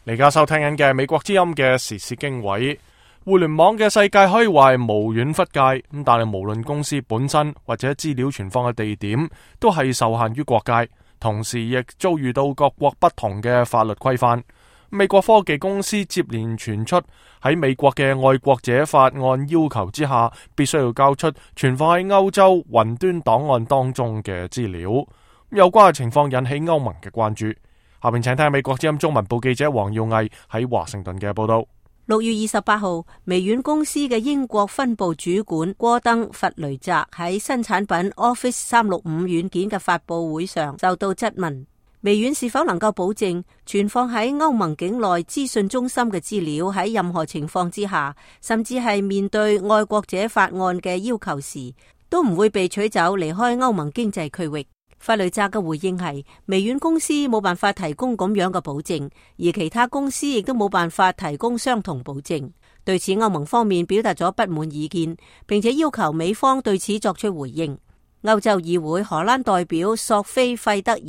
而家收聽緊嘅美國之音嘅時事經緯，互聯網嘅世界可以話係無遠弗屆，咁但係無論公司本身或者資料存放嘅地點，都係受限於國界，同時亦遭遇到各國不同嘅法律規範。美國科技公司接連傳出喺美國嘅愛國者法案要求之下，必須要交出存放喺歐洲雲端檔案當中嘅資料。有關嘅情況引起歐盟嘅關注。下面請聽美國之音中文部記者黃耀毅喺華盛頓嘅報道。6月28號，微軟公司嘅英國分部主管戈登弗雷澤喺新產品 Office 365軟件嘅發佈會上受到質問，微軟是否能夠保證存放喺歐盟境內資訊中心嘅資料喺任何情況之下，甚至係面對愛國者法案嘅要求時，都唔會被取走離開歐盟經濟區域。弗雷澤嘅回應係，微軟公司冇辦法提供咁樣嘅保證，而其他公司亦都冇辦法提供相同保證。對此，歐盟方面表達咗不滿意見，並且要求美方對此作出回應。歐洲議會荷蘭代表索菲費德爾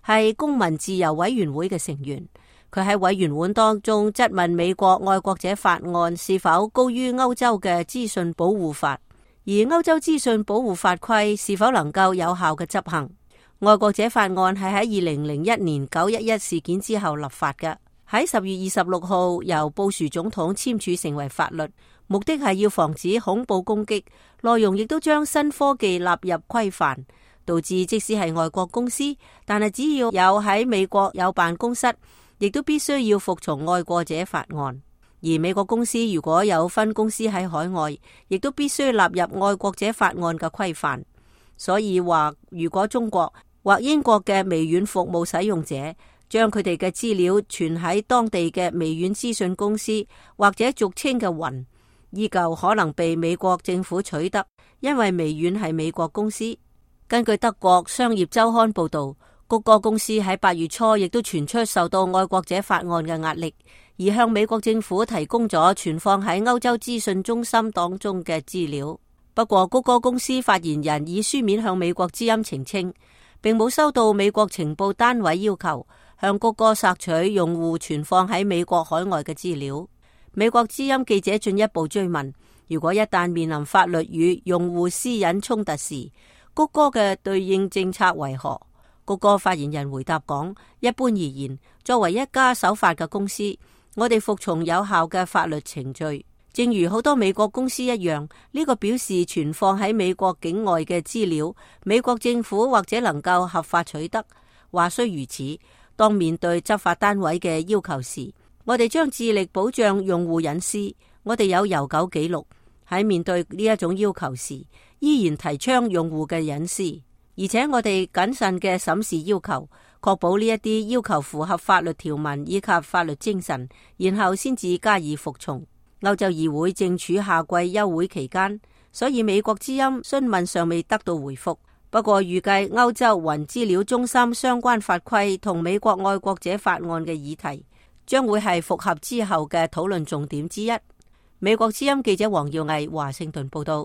係公民自由委員會嘅成員，佢喺委員會當中質問美國愛國者法案是否高於歐洲嘅資訊保護法，而歐洲資訊保護法規是否能夠有效嘅執行。愛國者法案係喺2001年911事件之後立法嘅，喺10月26號由布殊總統簽署成為法律，目的係要防止恐怖攻擊，內容亦都將新科技納入規範，導致即使係外國公司，但係只要有喺美國有辦公室，亦都必須要服從愛國者法案。而美國公司如果有分公司喺海外，亦都必須納入愛國者法案嘅規範。所以話，如果中國或英國嘅微軟服務使用者將佢哋嘅資料存喺當地嘅微軟資訊公司，或者俗稱嘅雲，依舊可能被美國政府取得，因為微軟係美國公司。根據德國商業週刊報道，谷歌公司喺8月初亦都傳出受到愛國者法案嘅壓力，而向美國政府提供咗存放喺歐洲資訊中心當中嘅資料。不過，谷歌公司發言人以書面向美國之音澄清，並冇收到美國情報單位要求向谷歌索取用戶存放喺美國海外嘅資料。美國之音記者進一步追問，如果一旦面臨法律與用戶私隱衝突時，谷歌嘅對應政策為何？谷歌發言人回答講，一般而言，作為一家守法嘅公司，我哋服從有效嘅法律程序。正如好多美國公司一樣，呢個表示存放喺美國境外嘅資料，美國政府或者能夠合法取得。話雖如此，當面對執法單位嘅要求時，我哋將致力保障用戶隱私。我哋有悠久記錄，喺面對呢一種要求時，依然提倡用戶嘅隱私，而且我哋謹慎嘅審視要求，確保呢一啲要求符合法律條文以及法律精神，然後先至加以服從。歐洲議會正處夏季休會期間，所以美國之音詢問尚未得到回覆。不過預計歐洲雲資料中心相關法規同美國愛國者法案嘅議題，將會係復合之後嘅討論重點之一。美國之音記者黃耀毅華盛頓報道。